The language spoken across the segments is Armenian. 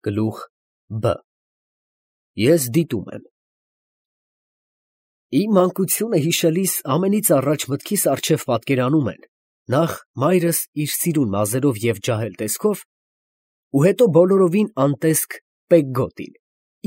Գլուխ Բ Ես դիտում եմ։ Իմ մանկությունը հիշելիս ամենից առաջ մտքիս առջև պատկերանում են նախ մայրս իր սիրուն մազերով և ջահել տեսքով ու հետո բոլորովին անտեսք Պեգգոտին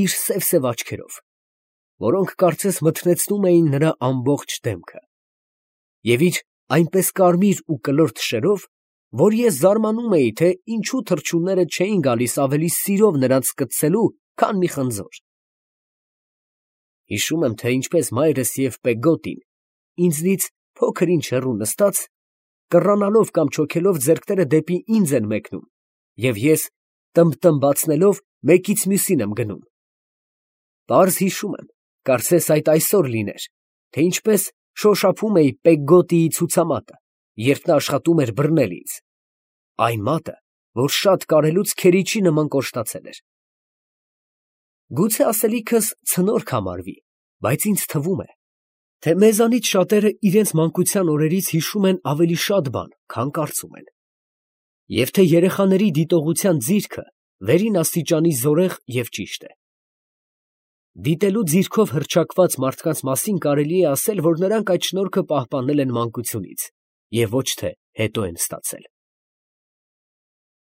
իր սև աչքերով, որոնք կարծես մթնեցնում էին նրա ամբողջ դեմքը, և իր այնպես կարմիր ու կլոր թշերով, որ ես զարմանում էի, թե ինչու թռչունները չէին գալիս ավելի սիրով նրանց կծելու, քան մի խնձոր։ Հիշում եմ, թե ինչպես մայրս և Պեգգոտին ինձնից փոքր ինչ հեռու նստած, կռանալով կամ չոքելով ձեռքները դեպի ինձ են մեկնում, և ես տմբտմբացնելով մեկից մյուսին եմ գնում։ Պարզ հիշում եմ, կարծես այդ այսօր լիներ, թե ինչպես շոշափում էի Պեգգոտիի ցուցամատը, երբ նա աշխատում էր բռնել ինձ, այն մատը, որ շատ կարելուց քերիչի նման կոշտացել էր։ Գուցե ասելիքս ցնորք համարվի, բայց ինձ թվում է, թե մեզանից շատերը իրենց մանկության օրերից հիշում են ավելի շատ բան, քան կարծում են, և թե երեխաների դիտողության ձիրքը վերին աստիճանի զորեղ և ճիշտ է։ Դիտելու ձիրքով հռչակված մարդկանց մասին կարելի է ասել, որ նրանք այդ շնորհքը պահպանել են մանկությունից և ոչ թե հետո են ստացել։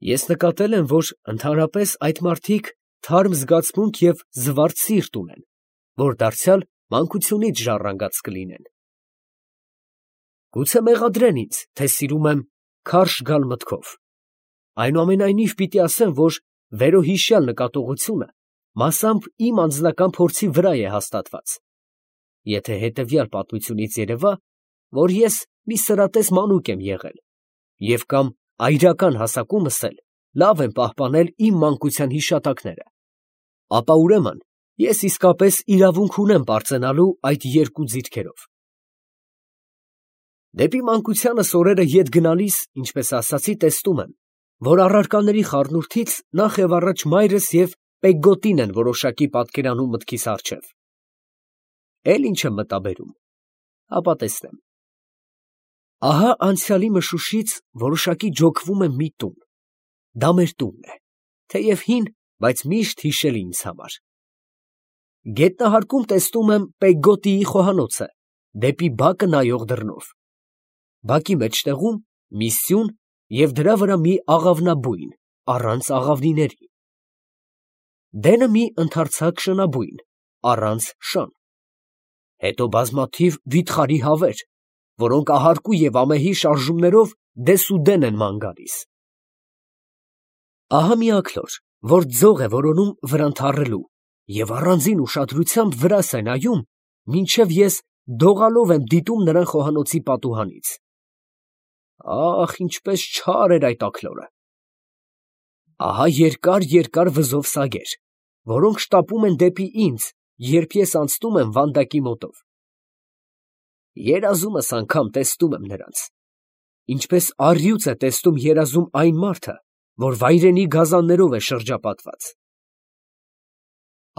Ես նկատել եմ, որ ընդհանրապես այդ մարդիկ թարմ զգացմունք և զվարթ սիրտ ունեն, որ դարձյալ մանկությունից ժառանգած կլինեն։ Գուցե մեղադրեն ինձ, թե սիրում եմ քարշ գալ մտքով, այնուամենայնիվ պիտի ասեմ, որ վերոհիշյալ նկատողությունը մասամբ իմ անձնական փորձի վրա է հաստատված, եթե հետևյալ պատմությունից երևա, որ ես մի սրատես մանուկ եմ եղել և կամ այրական հասակումս էլ լավ եմ պահպանել իմ մանկության հիշատակները, ապա ուրեմն ես իսկապես իրավունք ունեմ պարծենալու այդ երկու ձիրքերով։ Դեպի մանկությանս օրերը ետ գնալիս, ինչպես ասացի, տեսնում եմ, որ առարկաների խառնուրդից նախ և առաջ մայրս և Պեգգոտին են որոշակի պատկերանում մտքիս առջև։ Էլ ինչ եմ մտաբերում, հապա տեսնեմ։ Ահա անցյալի մշուշից որոշակի ջոկվում եմ մի տուն, դա մեր տունն է, թեև հին, բայց միշտ հիշելի ինձ համար։ Գետնահարկում տեսնում եմ Պեգգոտիի խոհանոցը, դեպի բակը նայող դռնով, բակի մեջտեղում մի սյուն և դրա վրա մի աղավնաբույն, առանց աղավնիների, դենը մի ընդարձակ շնաբույն, առանց շան, հետո բազմաթիվ վիթխարի հավեր, որոնք ահարկու և ամեհի շարժումներով դեսուդեն են ման գալիս։ Ահա մի աքլոր, որ ձող է որոնում վրան թառելու և առանձին ուշադրությամբ վրաս է նայում, մինչև ես դողալով եմ դիտում նրան խոհանոցի պատուհանից։ Ա՜խ, ինչպես չար էր այդ աքլորը։ Ահա երկար վզով սագեր, որոնք շտապում են դեպի ինձ, երբ ես անցնում եմ վանդակի մոտով։ Երազումս անգամ տեսնում եմ նրանց, ինչպես առյուծ է տեսնում երազում այն մարդը, որ վայրենի գազաններով է շրջապատված։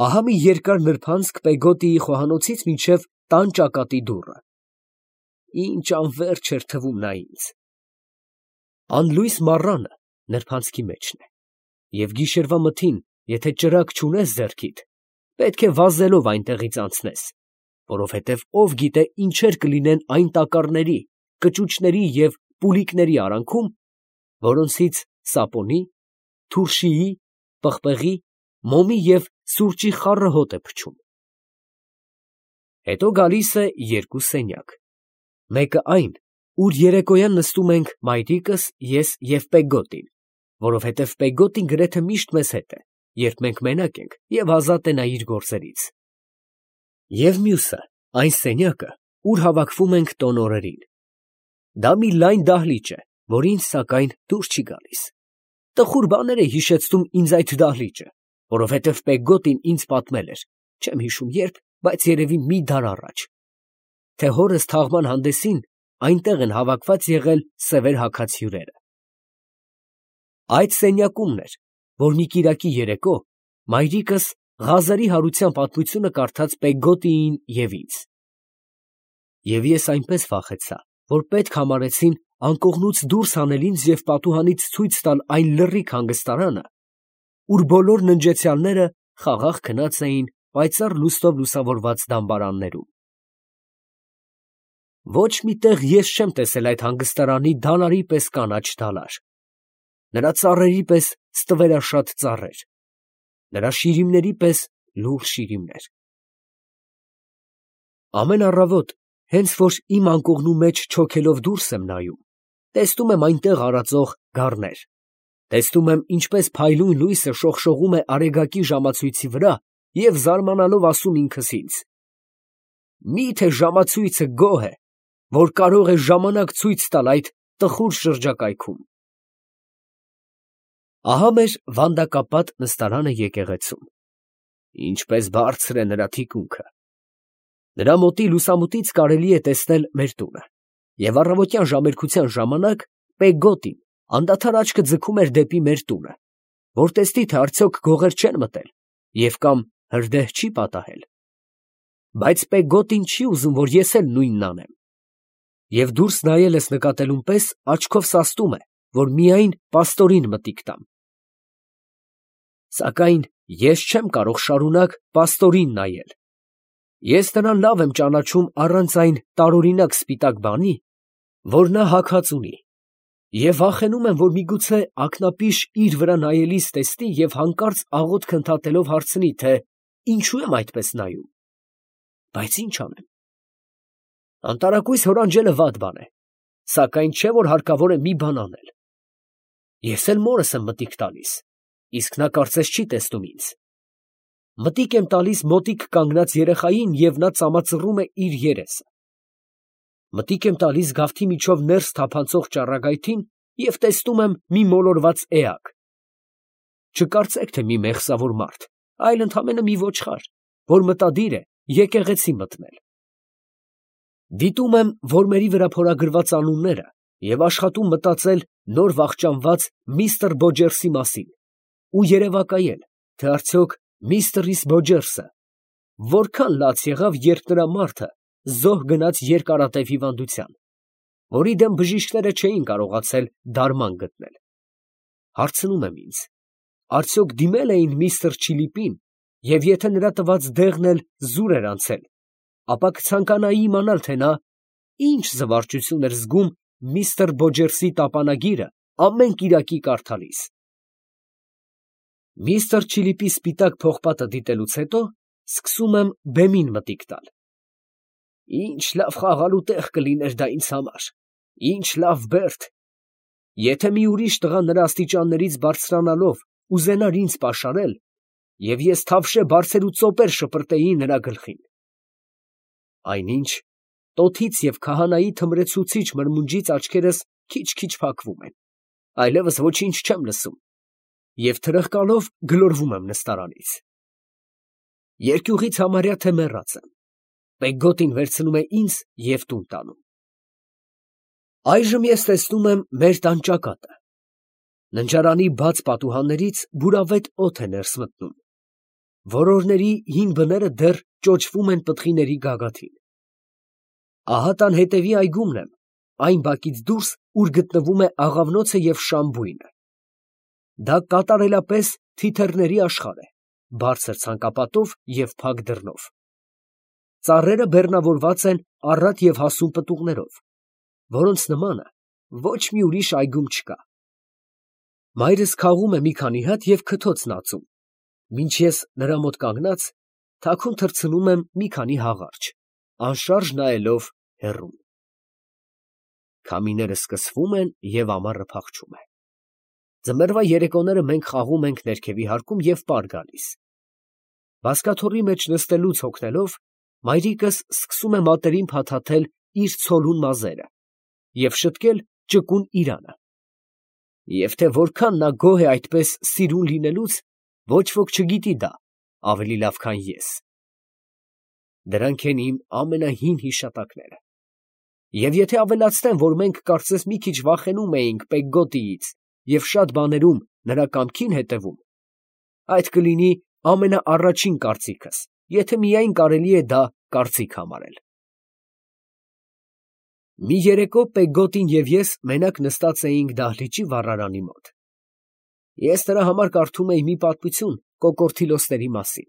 Ահա մի երկար նրբանցք Պեգգոտիի խոհանոցից մինչև տան ճակատի դուռը։ Ինչ անվերջ էր թվում նա ինձ։ Անլույս մառանը նրբանցքի մեջն է, և գիշերվա մթին, եթե ճրագ չունես ձեռքիդ, պետք է վազելով այնտեղից անցնես, որովհետև ով գիտե ինչեր կլինեն այն տակառների, կճուճների և պուլիկների արանքում, որոնցից սապոնի, թուրշիի, պղպեղի, մոմի և սուրճի խառը հոտ է փչում։ Հետո գալիս է երկու սենյակ, մեկը այն, ուր երեկոյան նստում ենք մայրիկս, ես և Պեգգոտին, որովհետև Պեգգոտին գրեթե միշտ մեզ հետ է, երբ մենք մենակ ենք և ազատ է նա իր գործերից, և մյուսը, այն սենյակը, ուր հավաքվում ենք տոն օրերին։ Դա մի լայն դահլիճ է, որ ինձ, սակայն, դուր չի գալիս։ Տխուր բաներ է հիշեցնում ինձ այդ դահլիճը, որովհետև Պեգգոտին ինձ պատմել էր, չեմ հիշում երբ, բայց երևի մի դար առաջ, թե հորս թաղման հանդեսին այնտեղ են հավաքված եղել սևեր հագած հյուրերը։ Այդ սենյակումն էր, որ մի կիրակի երեկո մայրիկս Ղազարի հարության պատմությունը կարդաց Պեգգոտիին և ինձ։ Եվ ես այնպես վախեցա, որ պետք համարեցին անկողնուց դուրս հանել ինձ և պատուհանից ցույց տալ այն լռիկ հանգստարանը, ուր բոլոր ննջեցյալները խաղաղ քնած էին պայծառ լուստով լուսավորված դամբարաններում։ Ոչ մի տեղ ես չեմ տեսել այդ հանգստարանի դալարի պես կանաչ դալար, նրա ծառերի պես ստվերաշատ ծառեր, նրա շիրիմների պես լուռ շիրիմներ։ Ամեն առավոտ, հենց որ իմ անկողնու մեջ չոքելով դուրս եմ նայում, տեսնում եմ այնտեղ արածող գառներ, տեսնում եմ, ինչպես փայլուն լույսը շողշողում է արեգակի ժամացույցի վրա և զարմանալով ասում ինքս ինձ. «Մի՞թե ժամացույցը գոհ է, որ կարող է ժամանակ ցույց տալ այդ տխուր շրջակայքում»։ Ահա մեր վանդակապատ նստարանը եկեղեցում. ինչպես բարձր է նրա թիկունքը։ Նրա մոտի լուսամուտից կարելի է տեսնել մեր տունը, և առավոտյան ժամերքության ժամանակ Պեգոտին անդադար աչքը ձգում էր դեպի մեր տունը, որ տեսնի, թե արդյոք գողեր չեն մտել և կամ հրդեհ չի պատահել։ Բայց Պեգոտին չի ուզում, որ ես էլ նույնն անեմ, և դուրս նայելս նկատելուն պես աչքով սաստում է, որ միայն պաստորին մտիկ տամ։ Սակայն ես չեմ կարող շարունակ պաստորին նայել։ Ես նրան լավ եմ ճանաչում առանց այն տարօրինակ սպիտակ բանի, որ նա հագած ունի, և վախենում եմ, որ միգուցե ակնապիշ իր վրա նայելիս տեսնի և հանկարծ աղոթք ընդհատելով հարցնի, թե ինչու եմ այդպես նայում։ Բայց ի՞նչ անեմ։ Անտարակույս հորանջելը վատ բան է, սակայն չէ, որ հարկավոր է մի բան անել։ Ես էլ մորս եմ մտիկ տալիս, իսկ նա կարծես չի տեսնում ինձ։ Մտիկ եմ տալիս մոտիկ կանգնած երեխային, և նա ծամածռում է իր երեսը։ Մտիկ եմ տալիս գավթի միջով ներս թափանցող ճառագայթին և տեսնում եմ մի մոլորված էակ։ Չկարծեք, թե մի մեղսավոր մարդ, այլ ընդամենը մի ոչխար, որ մտադիր է եկեղեցի մտնել։ Դիտում եմ որմերի վրա փորագրված անունները և աշխատում մտածել նոր վախճանված միստր Բոջերսի մասին ու երևակայել, թե արդյոք միստր Բոջերսը որքան լաց եղավ, երբ նրա մարդը զոհ գնաց երկարատև հիվանդության, որի դեմ բժիշկները չէին կարողացել դարման գտնել։ Հարցնում եմ ինձ. արդյոք դիմել էին միստր Չիլիպին, և եթե նրա տված դեղն էլ զուր էր անցել, ապա կցանկանայի իմանալ, թե նա ինչ զվարճություն էր զգում միստր Բոջերսի տապանագիրը ամեն կիրակի կարդալիս։ Միստր Չիլիպի սպիտակ պողպատը դիտելուց հետո սկսում եմ բեմին մտիկ տալ։ Ինչ լավ խաղալու տեղ կլիներ դա ինձ համար, ինչ լավ բերդ, եթե մի ուրիշ տղա նրա աստիճաններից բարձրանալով ուզենար ինձ պաշարել, և ես թավշե բարձեր ու ծոպեր շպրտեի նրա գլխին։ Այնինչ տոթից և քահանայի թմրեցուցիչ մրմունջից աչքերս քիչ֊քիչ փակվում են, այլևս ոչինչ չեմ լսում, և թրխկալով գլորվում եմ նստարանից։ Երկյուղից համարյա թե մեռած եմ։ Պեգոտին վերցնում է ինձ և տուն տանում։ Այժմ ես տեսնում եմ մեր տան ճակատը։ Ննջարանի բաց պատուհաններից բուրավետ օդ է ներս մտնում։ Որորների հին բները դեռ ճոճվում են պտղիների գագաթին։ Ահա տան հետևի այգումն եմ, այն բակից դուրս, ուր գտնվում է աղավնոցը և շամբույնը։ Դա կատարելապես թիթեռների աշխարհ է, բարձր ցանկապատով և փակ դռնով։ Ծառերը բեռնավորված են առատ և հասուն պտուղներով, որոնց նմանը ոչ մի ուրիշ այգում չկա։ Մայրս քաղում է մի քանի հատ և քթոցն ածում, մինչ ես նրա մոտ կանգնած թաքուն թռցնում եմ մի քանի հաղարջ, անշարժ նայելով հեռուն։ Քամիները սկսվում են և ամառը փախչում է։ Ձմեռվա երեկոները մենք խաղում ենք ներքևի հարկում և պար գալիս։ Բազկաթոռի մեջ նստելուց հոգնելով, մայրիկս սկսում է մատերին փաթաթել իր ցոլուն մազերը և շտկել ճկուն իրանը։ Եվ թե որքան նա գոհ է այդպես սիրուն լինելուց, ոչ ոք չգիտի դա ավելի լավ, քան ես։ Դրանք են իմ ամենահին հիշատակները։ Եվ եթե ավելացնեմ, որ մենք կարծես մի քիչ վախենում էինք Պեգոտիից և շատ բաներում նրա կամքին հետևում, այդ կլինի ամենաառաջին կարծիքս, եթե միայն կարելի է դա կարծիք համարել։ Մի երեկո Պեգոտին և ես մենակ նստած էինք դահլիճի վառարանի մոտ։ Ես նրա համար կարդում էի մի պատմություն կոկորդիլոսների մասին։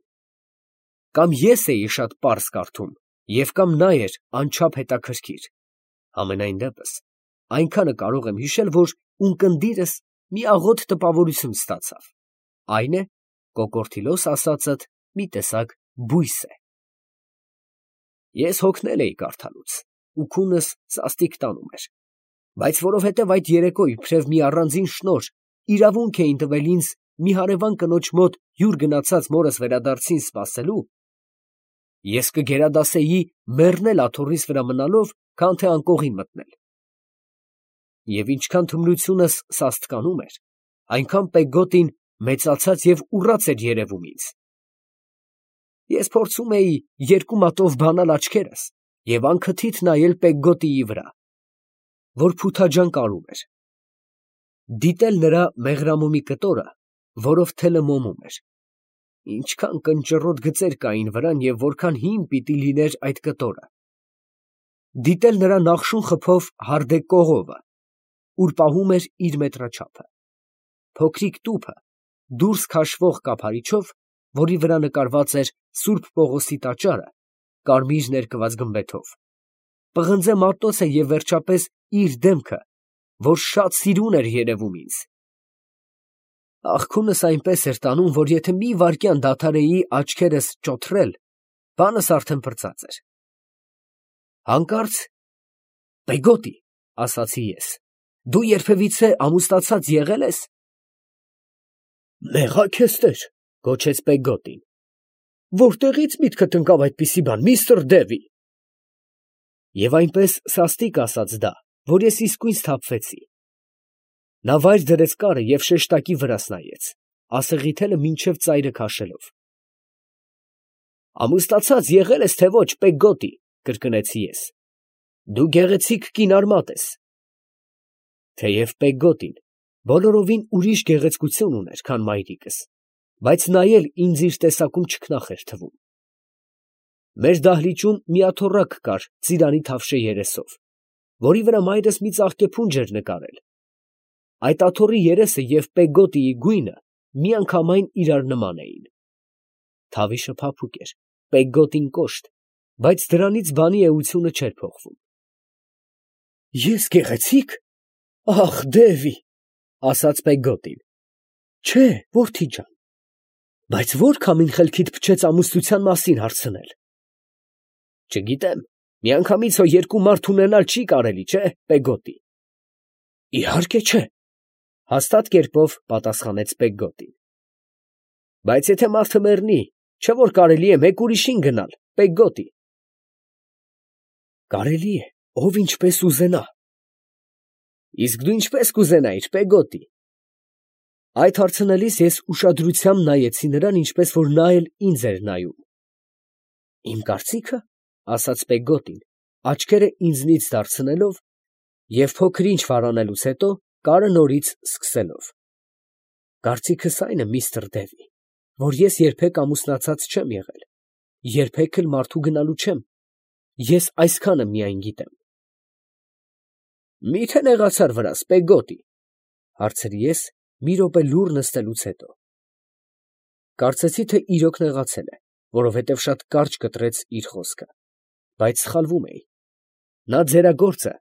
Կամ ես էի շատ պարզ կարդում, և կամ նա էր անչափ հետաքրքիր։ Համենայն դեպս, այնքանը կարող եմ հիշել, որ ունկնդիրս մի աղոտ տպավորություն ստացավ. այն է, կոկորդիլոս ասածդ մի տեսակ բույս է։ Ես հոգնել էի կարդալուց, ու քունս սաստիկ տանում էր, բայց որովհետև այդ երեկո իբրև մի առանձին շնորհ իրավունք էին տվել ինձ մի հարևան կնոջ մոտ հյուր գնացած մորս վերադարձին սպասելու, ես կգերադասեի մեռնել աթոռիս վրա մնալով, քան թե անկողին մտնել։ Եվ ինչքան թմրությունս սաստկանում էր, այնքան Պեգոտին մեծացած և ուռած էր երևում ինձ։ Ես փորձում էի երկու մատով բանալ աչքերս և անքթիթ նայել Պեգոտիի վրա, որ փութաջան կարում էր, դիտել նրա մեղրամոմի կտորը, որով թելը մոմում էր, ինչքան կնճռոտ գծեր կային վրան և որքան հին պիտի լիներ այդ կտորը, դիտել նրա նախշուն խփով հարդե կողովը, ուր պահում էր իր մետրաչափը, փոքրիկ տուփը, դուրս քաշվող կափարիչով, որի վրա նկարված էր Սուրբ Պողոսի տաճարը, կարմիր ներկված գմբեթով, պղնձե մատոցը և վերջապես իր դեմքը, որ շատ սիրուն էր երևում ինձ։ Աղքունս այնպես էր տանում, որ եթե մի վայրկյան դադարեի աչքերս ճոթռել, բանս արդեն պրծած էր։ Հանկարծ Պեգոտի, ասացի ես, դու երբևիցե ամուսնացած եղե՞լ ես։ Մեղա քեզ տեր, գոչեց Պեգոտին, որտեղից միտքդ ընկավ այդպիսի բան, միստր Դևի։ Եվ այնպես սաստիկ ասաց դա, որ ես իսկույն սթափվեցի։ Նա վայր դրեց կարը և շեշտակի վրաս նայեց, ասեղի թելը մինչև ծայրը քաշելով։ Ամուսնացած եղե՞լ ես, թե ոչ, Պեգոտի, կրկնեցի ես։ Դու գեղեցիկ կին արմատ ես։ Թեև Պեգոտին բոլորովին ուրիշ գեղեցկություն ուներ, քան մայրիկս, բայց նա էլ ինձ իր տեսակում չքնաղ էր թվում։ Մեր դահլիճում մի աթոռակ կար ծիրանի թավշե երեսով, որի վրա մայրս մի ծաղկե փունջ էր նկարել։ Այդ աթոռի երեսը և Պեգոտիի գույնը միանգամայն իրար նման էին։ Թավիշը փափուկ էր, Պեգոտին կոշտ, բայց դրանից բանի էությունը չէր փոխվում։ Ես գեղեցի՞կ։ Ախ, Դևի, ասաց Պեգոտին։ Չէ, որդի ջան, բայց ո՞ր քամին խելքիդ փչեց ամուսնության մասին հարցնել։ Չգիտեմ, միանգամից հո երկու մարդ ունենալ չի կարելի, չէ, Պեգոտի։ Իհարկե չէ, հաստատ կերպով պատասխանեց Պեգոտին։ Բայց եթե մարդը մեռնի, չէ՞ որ կարելի է մեկ ուրիշին գնալ, Պեգոտի։ Կարելի է, ով ինչպես ուզենա։ Իսկ դու ինչպես կուզենայիր, Պեգոտի։ Այդ հարցնելիս ես ուշադրությամբ նայեցի նրան, ինչպես որ նա էլ ինձ էր նայում։ Իմ կարծիքը, ասաց Պեգոտին, աչքերը ինձնից դարձնելով և փոքր ինչ վարանելուց հետո կարը նորից սկսելով։ Կարծիքս այն է, միստր Դևի, որ ես երբեք ամուսնացած չեմ եղել, երբեք էլ մարդու գնալու չեմ, ես այսքանը միայն գիտեմ։ Մի՞թե նեղացար վրաս, Պեգոտի, հարցրի ես մի րոպե լուռ նստելուց հետո։ Կարծեցի, թե իրոք նեղացել է, որովհետև շատ կարճ կտրեց իր խոսքը, բայց սխալվում էի։ Նա ձեռագործը,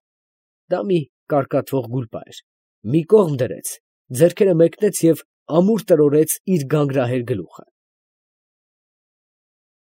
դա մի կարկատվող գուլպա էր, մի կողմ դրեց, ձեռքերը մեկնեց և ամուր տրորեց իր գանգրահեր գլուխը։